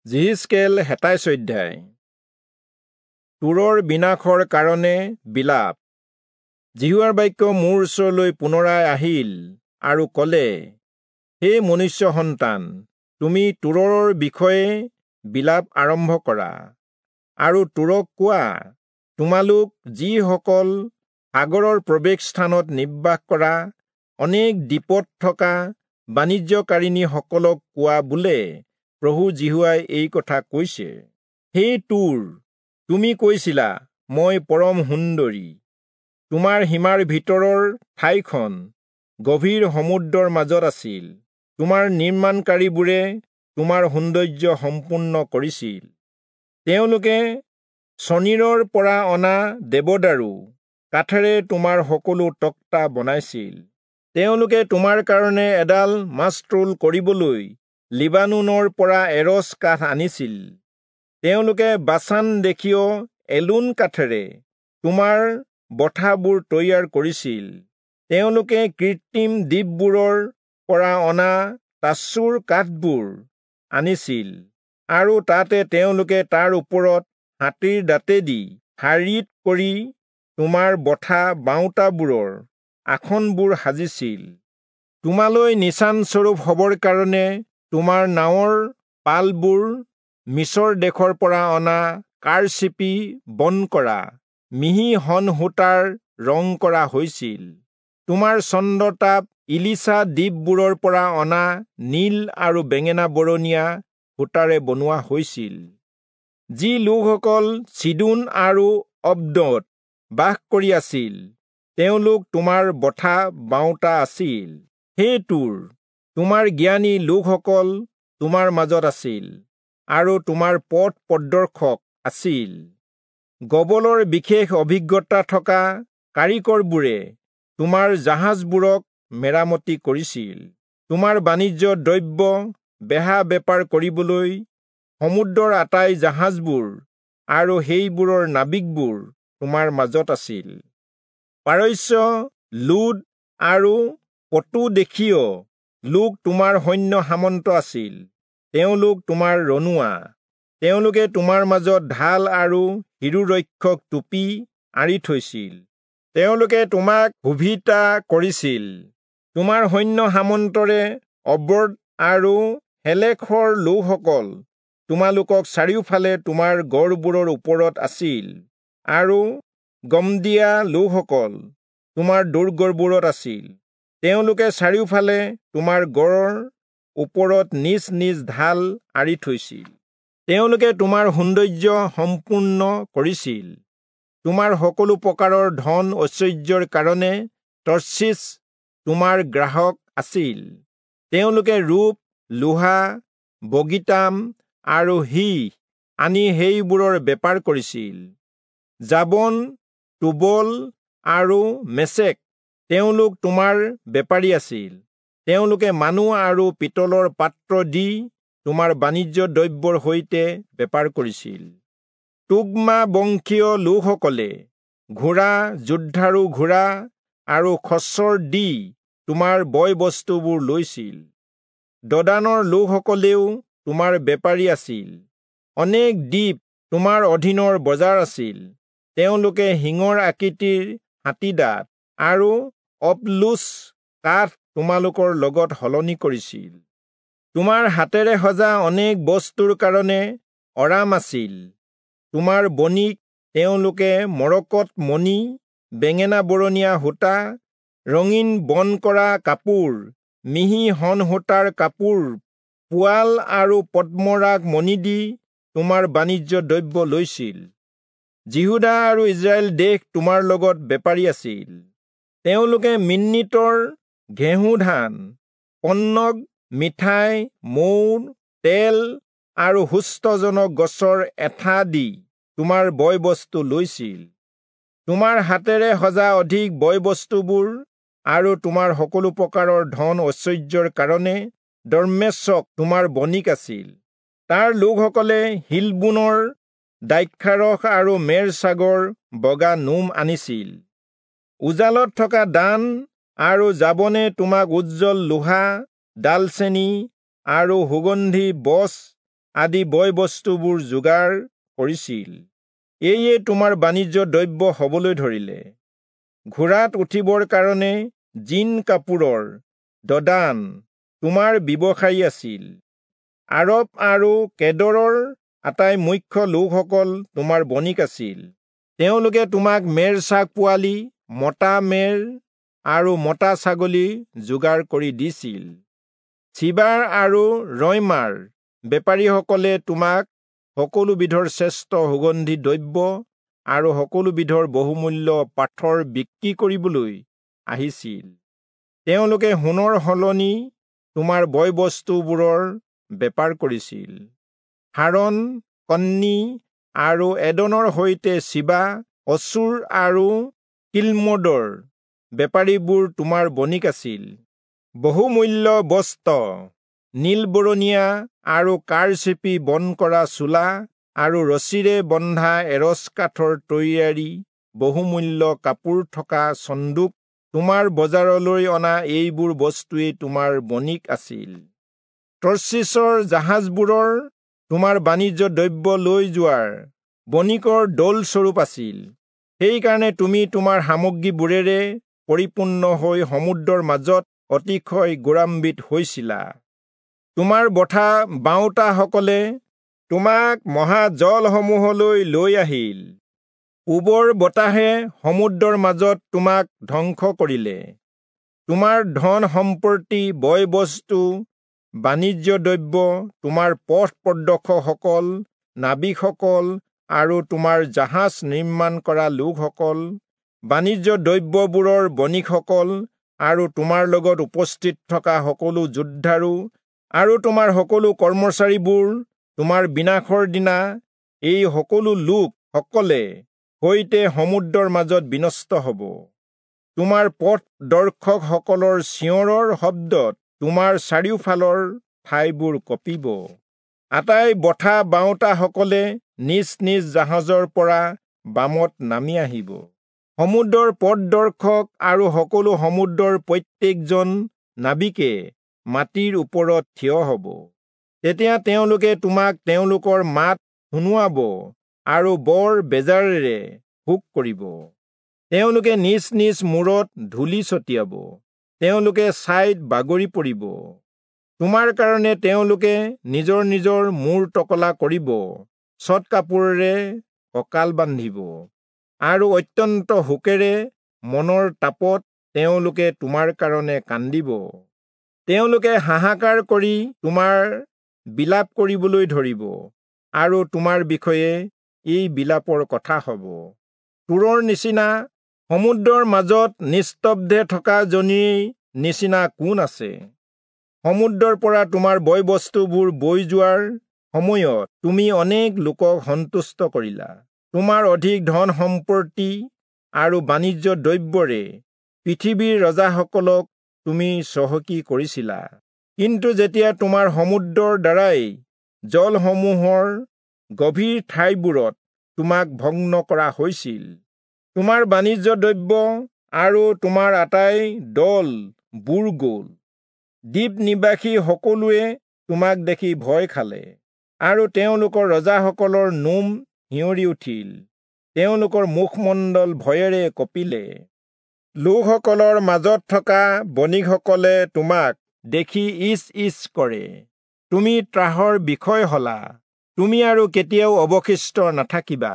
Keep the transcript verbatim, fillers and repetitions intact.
যিহিষ্কেল সাতাইশ অধ্যায়। তূৰৰ বিনাশৰ কাৰণে বিলাপ। যিহোৱাৰ বাক্য মোৰ ওচৰলৈ পুনৰাই আহিল আৰু কলে, হে মনুষ্য সন্তান, তুমি তূৰৰ বিষয়ে বিলাপ আৰম্ভ কৰা আৰু তূৰক কোৱা, তোমালোক যিসকল সাগৰৰ প্ৰৱেশ স্থানত নিবাস কৰা অনেক দ্বীপত থকা বাণিজ্যকাৰিণীসকলক কোৱা বোলে, প্ৰভু যিহোৱাই এই কথা কৈছে, হে তূৰ, তুমি কৈছিলা, মই পৰম সুন্দৰী। তোমাৰ সীমাৰ ভিতৰৰ ঠাইখন গভীৰ সমুদ্ৰৰ মাজত আছিল। তোমাৰ নিৰ্মাণকাৰীবোৰে তোমাৰ সৌন্দৰ্য সম্পূৰ্ণ কৰিছিল। তেওঁলোকে চনীৰৰ পৰা অনা দেৱদাৰু কাঠেৰে তোমাৰ সকলো তক্তা বনাইছিল। তেওঁলোকে তোমাৰ কাৰণে এডাল মাস্তুল কৰিবলৈ লিবানোনৰ পৰা এৰচ কাঠ আনিছিল। তেওঁলোকে বাচান দেশীয় এলোন কাঠেৰে তোমাৰ বঠাবোৰ তৈয়াৰ কৰিছিল। তেওঁলোকে কৃত্ৰিম দ্বীপবোৰৰ পৰা অনা তাচুৰ কাঠবোৰ আনিছিল আৰু তাতে তেওঁলোকে তাৰ ওপৰত হাতীৰ দাঁতেদি শাৰীত কৰি তোমাৰ বঠা বাওঁতাবোৰৰ আসনবোৰ সাজিছিল। তোমালৈ নিচানস্বৰূপ হবৰ কাৰণে তোমাৰ নাৱৰ পালবোৰ মিছৰ দেশৰ পৰা অনা কাৰচিপি বন কৰা মিহি শণ সূতাৰ ৰং কৰা হৈছিল। তোমাৰ চন্দ্ৰতাপ ইলিচা দ্বীপবোৰৰ পৰা অনা নীল আৰু বেঙেনা বৰণীয়া সূতাৰে বনোৱা হৈছিল। যি লোকসকল চিদোন আৰু অব্দত বাস কৰি আছিল, তেওঁলোক তোমাৰ বঠা বাওঁতা আছিল। হে তূৰ, তোমাৰ জ্ঞানী লোকসকল তোমাৰ মাজত আছিল আৰু তোমাৰ পথ প্ৰদৰ্শক আছিল। গবলৰ বিশেষ অভিজ্ঞতা থকা কাৰিকৰবোৰে তোমাৰ জাহাজবোৰক মেৰামতি কৰিছিল। তোমাৰ বাণিজ্য দ্ৰব্য বেহা বেপাৰ কৰিবলৈ সমুদ্ৰৰ আটাই জাহাজবোৰ আৰু সেইবোৰৰ নাবিকবোৰ তোমাৰ মাজত আছিল। পাৰস্য, লুদ আৰু পটুদেশীয় লোক তোমাৰ সৈন্য সামন্ত আছিল। তেওঁলোক তোমাৰ ৰণুৱা। তেওঁলোকে তোমাৰ মাজত ঢাল আৰু শিৰোৰক্ষক টুপি আঁৰি থৈছিল। তেওঁলোকে তোমাক শোভিতা কৰিছিল। তোমাৰ সৈন্য সামন্তৰে অব্ৰদ আৰু হেলেখৰ লোকসকল তোমালোকক চাৰিওফালে তোমাৰ গড়বোৰৰ ওপৰত আছিল আৰু গমদিয়া লোকসকল তোমাৰ দুৰ্গবোৰত আছিল। তেওঁলোকে চাৰিওফালে তোমাৰ গড়ৰ ওপৰত নিজ নিজ ঢাল আঁৰি থৈছিল। তেওঁলোকে তোমাৰ সৌন্দৰ্য সম্পূৰ্ণ কৰিছিল। তোমাৰ সকলো প্ৰকাৰৰ ধন ঐশ্বৰ্যৰ কাৰণে তৰ্চীচ তোমাৰ গ্ৰাহক আছিল। তেওঁলোকে ৰূপ, লোহা, বগীতাম আৰু সীহ আনি সেইবোৰৰ বেপাৰ কৰিছিল। যাবন, টোবল আৰু মেচেক তেওঁলোক তোমাৰ বেপাৰী আছিল। তেওঁলোকে মানুহ আৰু পিতলৰ পাত্ৰ দি তোমাৰ বাণিজ্য দ্ৰব্যৰ সৈতে বেপাৰ কৰিছিল। তোগমা বংশীয় লোকসকলে ঘোঁৰা, যুদ্ধাৰু ঘোঁৰা আৰু খচ্চৰ দি তোমাৰ বয় বস্তুবোৰ লৈছিল। দদানৰ লোকসকলেও তোমাৰ বেপাৰী আছিল। অনেক দ্বীপ তোমাৰ অধীনৰ বজাৰ আছিল। তেওঁলোকে শিঙৰ আকৃতিৰ হাতীদাঁত আৰু অপলুচ কাঠ তোমালোকৰ লগত সলনি কৰিছিল। তোমাৰ হাতেৰে সজা অনেক বস্তুৰ কাৰণে অৰাম আছিল। তোমাৰ বণিক তেওঁলোকে মৰকত মণি, বেঙেনা বৰণীয়া সূতা, ৰঙীন বন কৰা কাপোৰ, মিহি শণ সূতাৰ কাপোৰ, পোৱাল আৰু পদ্মৰাগ মণি দি তোমাৰ বাণিজ্য দ্ৰব্য লৈছিল। যিহূদা আৰু ইস্ৰায়েল দেশ তোমাৰ লগত বেপাৰী আছিল। তেওঁলোকে মিন্নিতৰ ঘেঁহু ধান, পন্নগ, মিঠাই, মৌ, তেল আৰু সুস্থজনক গছৰ এঠা দি তোমাৰ বয় বস্তু লৈছিল। তোমাৰ হাতেৰে সজা অধিক বয় বস্তুবোৰ আৰু তোমাৰ সকলো প্ৰকাৰৰ ধন ঐশ্বৰ্যৰ কাৰণে দম্মেচক তোমাৰ বণিক আছিল। তাৰ লোকসকলে হিলবোনৰ দ্ৰাক্ষাৰস আৰু মেৰ ছাগৰ বগা নোম আনিছিল। উজালত থকা দান আৰু যাবনে তোমাক উজ্জ্বল লোহা, ডালচেনি আৰু সুগন্ধি বছ আদি বয় বস্তুবোৰ যোগাৰ কৰিছিল। এয়ে তোমাৰ বাণিজ্য দ্ৰব্য হবলৈ ধৰিলে। ঘোঁৰাত উঠিবৰ কাৰণে জিন কাপোৰৰ দদান তোমাৰ ব্যৱসায়ী আছিল। আৰব আৰু কেদৰৰ আটাই মুখ্য লোকসকল তোমাৰ বণিক আছিল। তেওঁলোকে তোমাক মেৰ ছাগ পোৱালি, মতা মেৰ আৰু মতা ছাগলী যোগাৰ কৰি দিছিল। চিবাৰ আৰু ৰয়মাৰ বেপাৰীসকলে তোমাক সকলো বিধৰ শ্ৰেষ্ঠ সুগন্ধি দ্ৰব্য আৰু সকলো বিধৰ বহুমূল্য পাথৰ বিক্ৰী কৰিবলৈ আহিছিল। তেওঁলোকে সোণৰ সলনি তোমাৰ বয় বস্তুবোৰৰ বেপাৰ কৰিছিল। হাৰণ, কন্নি আৰু এদনৰ সৈতে চিবা, অচুৰ আৰু কিল্মদৰ বেপাৰীবোৰ তোমাৰ বণিক আছিল। বহুমূল্য বস্ত্ৰ, নীলবৰণীয়া আৰু কাঁড় চেপি বন কৰা চোলা আৰু ৰছীৰে বন্ধা এৰচ কাঠৰ তৈয়াৰী বহুমূল্য কাপোৰ থকা চন্দুক তোমাৰ বজাৰলৈ অনা এইবোৰ বস্তুৱেই তোমাৰ বণিক আছিল। তৰ্চীচৰ জাহাজবোৰৰ তোমাৰ বাণিজ্য দ্ৰব্য লৈ যোৱাৰ বণিকৰ দলস্বৰূপ আছিল। সেইকাৰণে তুমি তোমাৰ সামগ্ৰীবোৰেৰে পৰিপূৰ্ণ হৈ সমুদ্ৰৰ মাজত অতিশয় গৌৰৱান্বিত হৈছিলা। তোমাৰ বঠা বাওঁতাসকলে তোমাক মহাজলসমূহলৈ লৈ আহিল। পূবৰ বতাহে সমুদ্ৰৰ মাজত তোমাক ধ্বংস কৰিলে। তোমাৰ ধন সম্পত্তি, বয় বস্তু, বাণিজ্য দ্ৰব্য, তোমাৰ পথ প্ৰদৰ্শকসকল, নাবিকসকল আৰু তোমাৰ জাহাজ নিৰ্মাণ কৰা লোকসকল, বাণিজ্য দ্ৰব্যবোৰৰ বণিকসকল আৰু তোমাৰ লগত উপস্থিত থকা সকলো যোদ্ধাৰু আৰু তোমাৰ সকলো কৰ্মচাৰীবোৰ তোমাৰ বিনাশৰ দিনা এই সকলো লোকসকলে সৈতে সমুদ্ৰৰ মাজত বিনষ্ট হ'ব। তোমাৰ পথ দৰ্শকসকলৰ চিঞৰৰ শব্দত তোমাৰ চাৰিওফালৰ ঠাইবোৰ কঁপিব। আটাই বঠা বাওঁতাসকলে নিজ নিজ জাহাজৰ পৰা বামত নামি আহিব। সমুদ্ৰৰ পথদৰ্শক আৰু সকলো সমুদ্ৰৰ প্ৰত্যেকজন নাবিকে মাটিৰ ওপৰত থিয় হ'ব। তেতিয়া তেওঁলোকে তোমাক তেওঁলোকৰ মাত শুনোৱাব আৰু বৰ বেজাৰেৰে শোক কৰিব। তেওঁলোকে নিজ নিজ মূৰত ধূলি ছটিয়াব। তেওঁলোকে ছাইত বাগৰি পৰিব। তোমাৰ কাৰণে তেওঁলোকে নিজৰ নিজৰ মূৰ টকলা কৰিব, চট কাপোৰেৰে কঁকাল বান্ধিব আৰু অত্যন্ত শোকেৰে মনৰ তাপত তেওঁলোকে তোমাৰ কাৰণে কান্দিব। তেওঁলোকে হাহাকাৰ কৰি তোমাৰ বিলাপ কৰিবলৈ ধৰিব আৰু তোমাৰ বিষয়ে এই বিলাপৰ কথা হ'ব। তূৰৰ নিচিনা সমুদ্ৰৰ মাজত নিস্তব্ধে থকা জনীৰ নিচিনা কোন আছে? সমুদ্ৰৰ পৰা তোমাৰ বয় বস্তুবোৰ বৈ যোৱাৰ সময়ত তুমি অনেক লোকক সন্তুষ্ট কৰিলা। তোমাৰ অধিক ধন সম্পত্তি আৰু বাণিজ্য দ্ৰব্যৰে পৃথিৱীৰ ৰজাসকলক তুমি চহকী কৰিছিলা। কিন্তু যেতিয়া তোমাৰ সমুদ্ৰৰ দ্বাৰাই জলসমূহৰ গভীৰ ঠাইবোৰত তোমাক ভগ্ন কৰা হৈছিল, তোমাৰ বাণিজ্য দ্ৰব্য আৰু তোমাৰ আটাই দল বুৰ গ'ল। দ্বীপ নিবাসী সকলোৱে তোমাক দেখি ভয় খালে আৰু তেওঁলোকৰ ৰজাসকলৰ নোম শিয়ৰি উঠিল, তেওঁলোকৰ মুখমণ্ডল ভয়েৰে কঁপিলে। লোকসকলৰ মাজত থকা বণিকসকলে তোমাক দেখি ইচ ইচ কৰে। তুমি ত্ৰাসৰ বিষয় হলা, তুমি আৰু কেতিয়াও অৱশিষ্ট নাথাকিবা।